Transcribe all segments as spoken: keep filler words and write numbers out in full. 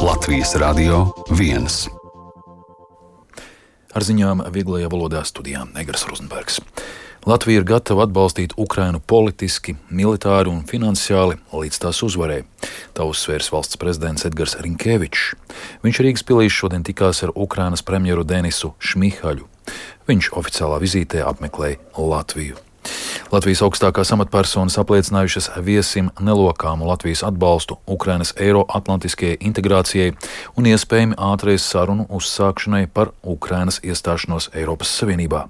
Latvijas Radio viens. Ar ziņām vieglajā valodā studijā Egars Rozenbergs. Latvija ir gatava atbalstīt Ukrainu politiski, militāri un finansiāli līdz tās uzvarē. Tā uzsvērs valsts prezidents Edgars Rinkevičs. Viņš Rīgas pilī šodien tikās ar Ukrainas premjeru Denisu Šmihaļu. Viņš oficiālā vizītē apmeklēja Latviju. Latvijas augstākās amatpersonas apliecinājušas viesim nelokāmu Latvijas atbalstu Ukrainas eiro-atlantiskajai integrācijai un iespējami ātrais sarunu uzsākšanai par Ukrainas iestāšanos Eiropas Savienībā.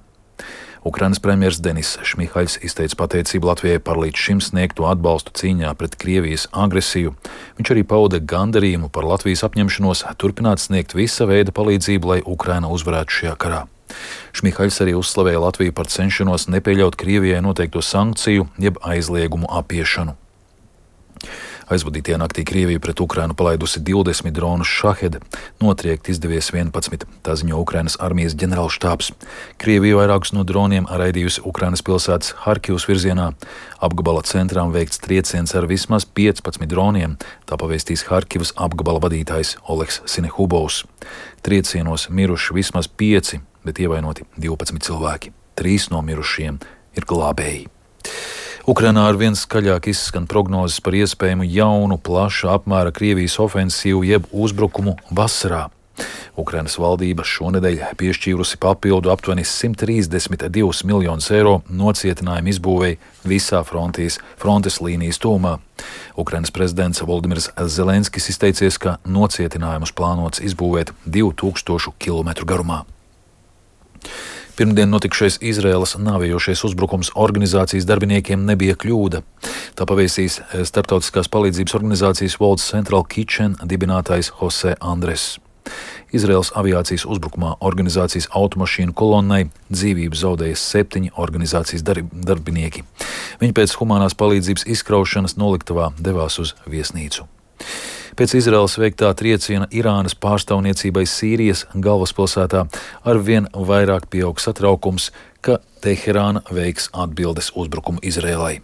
Ukrainas premjers Denis Šmihaļs izteica pateicību Latvijai par līdz šim sniegto atbalstu cīņā pret Krievijas agresiju. Viņš arī pauda gandarījumu par Latvijas apņemšanos turpināt sniegt visa veida palīdzību, lai Ukraina uzvarētu šajā karā. Šmihaļs arī uzslavēja Latviju par cenšanos nepieļaut Krievijai noteikto sankciju jeb aizliegumu apiešanu. Aizvadītajā naktī Krievija pret Ukrainu palaidusi divdesmit dronus Šahed, notriekt izdevies vienpadsmit, tā ziņo Ukrainas armijas ģenerālštābs. Krievija vairākus no droniem raidījusi Ukrainas pilsētas Harkivas virzienā. Apgabala centrām veikts trieciens ar vismaz piecpadsmit droniem, tā pavēstīs Harkivas apgabala vadītājs Oleks Sinehubovs. Triecienos miruši vismaz pieci, bet ievainoti divpadsmit cilvēki. Trīs no mirušiem ir glābēji. Ukrainā ar vien skaļāk izskan prognozes par iespējamu jaunu, plaša apmēra Krievijas ofensīvu jeb uzbrukumu vasarā. Ukrainas valdība šonedēļ piešķīrusi papildu aptuveni simt trīsdesmit divus miljonus eiro nocietinājumu izbūvēi visā frontes, frontes līnijas tūmā. Ukrainas prezidents Voldimirs Zelenskis izteicies, ka nocietinājumus plānots izbūvēt divu tūkstošu kilometru garumā. Pirmdien notikšais Izraēlas nāvējošais uzbrukums organizācijas darbiniekiem nebija kļūda. Tā pavēstīs starptautiskās palīdzības organizācijas World Central Kitchen dibinātājs Jose Andres. Izraēlas aviācijas uzbrukumā organizācijas automašīnu kolonnai dzīvību zaudēja septiņi organizācijas darb- darbinieki. Viņi pēc humanās palīdzības izkraušanas noliktavā devās uz viesnīcu. Pēc Izraēlas veiktā trieciena Irānas pārstāvniecībai Sīrijas galvaspilsētā arvien vairāk pieaug satraukums, ka Teherāna veiks atbildes uzbrukumu Izraēlai.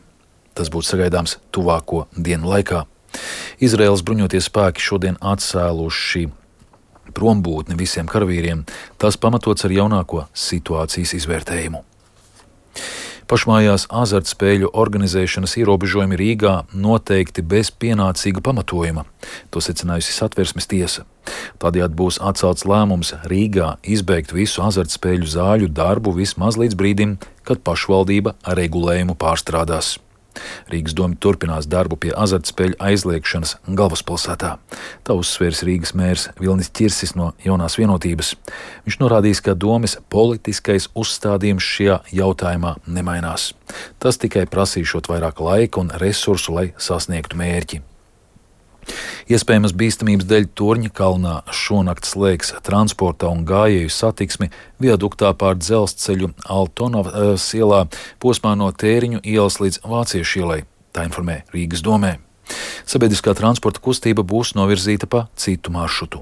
Tas būtu sagaidāms tuvāko dienu laikā. Izraēlas bruņotie spēki šodien atcēluši prombūtni visiem karavīriem, tas pamatots ar jaunāko situācijas izvērtējumu. Pašmājās azartspēļu organizēšanas ierobežojumi Rīgā noteikti bez pienācīga pamatojuma. To secinājusi Satversmes tiesa. Tādējādi būs atcelts lēmums Rīgā izbeigt visu azartspēļu zāļu darbu vismaz līdz brīdim, kad pašvaldība regulējumu pārstrādās. Rīgas doma turpinās darbu pie azartspēļu aizliegšanas galvaspilsētā. Tā uzsvērs Rīgas mērs Vilnis Ķirsis no Jaunās vienotības. Viņš norādījis, ka domes politiskais uzstādījums šajā jautājumā nemainās. Tas tikai prasīšot vairāk laika un resursu, lai sasniegtu mērķi. Iespējamas bīstamības dēļ Torņa kalnā šonakt slēgs transporta un gājēju satiksmi viaduktā pār dzelzceļu Altonavas ielā posmā no Tēriņu ielas līdz Vāciešu ielai, tā informē Rīgas domē. Sabiedriskā transporta kustība būs novirzīta pa citu maršrutu.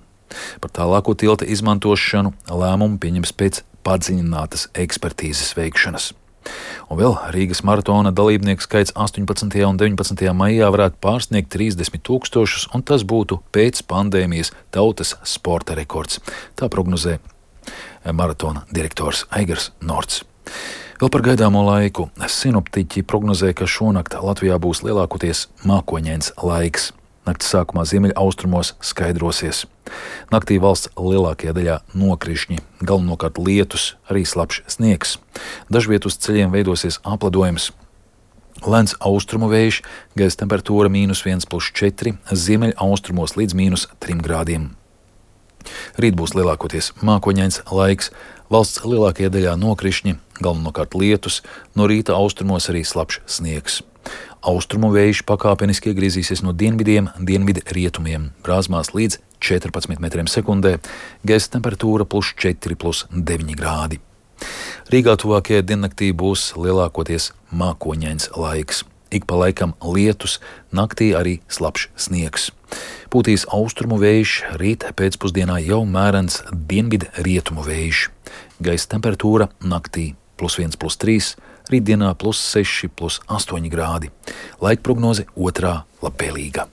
Par tālāko tilta izmantošanu lēmumu pieņems pēc padziļinātas ekspertīzes veikšanas. Un vēl Rīgas maratona dalībnieku skaits astoņpadsmitajā un deviņpadsmitajā maijā varētu pārsniegt trīsdesmit tūkstošus, un tas būtu pēc pandēmijas tautas sporta rekords. Tā prognozē maratona direktors Aigars Norts. Vēl par gaidāmo laiku. Sinoptiķi prognozē, ka šonakt Latvijā būs lielākoties mākoņains laiks. Nakts sākumā ziemeļaustrumos skaidrosies. Naktī valsts lielākajā daļā nokrišņi, galvenokārt lietus, arī slapjš sniegs. Dažviet uz ceļiem veidosies apledojums. Lēns austrumu vējš, gaisa temperatūra mīnus viens plus četri, ziemeļaustrumos līdz mīnus trim grādiem. Rīt būs lielākoties mākoņains laiks, valsts lielākajā daļā nokrišņi, galvenokārt lietus, no rīta austrumos arī slapjš sniegs. Austrumu vējš pakāpeniski iegriezīsies no dienvidiem, dienvidu rietumiem, brāzmās līdz četrpadsmit metriem sekundē, gaisa temperatūra plus četri plus deviņi grādi. Rīgā tuvākajā diennaktī būs lielākoties mākoņains laiks. Ik pa laikam lietus, naktī arī slapjš sniegs. Pūtīs austrumu vējš, rīt pēcpusdienā jau mērens dienvidu rietumu vējš. Gaisa temperatūra naktī plus viens plus trīs, rītdienā plus seši plus astoņi grādi. Laika prognoze otrā labvēlīga.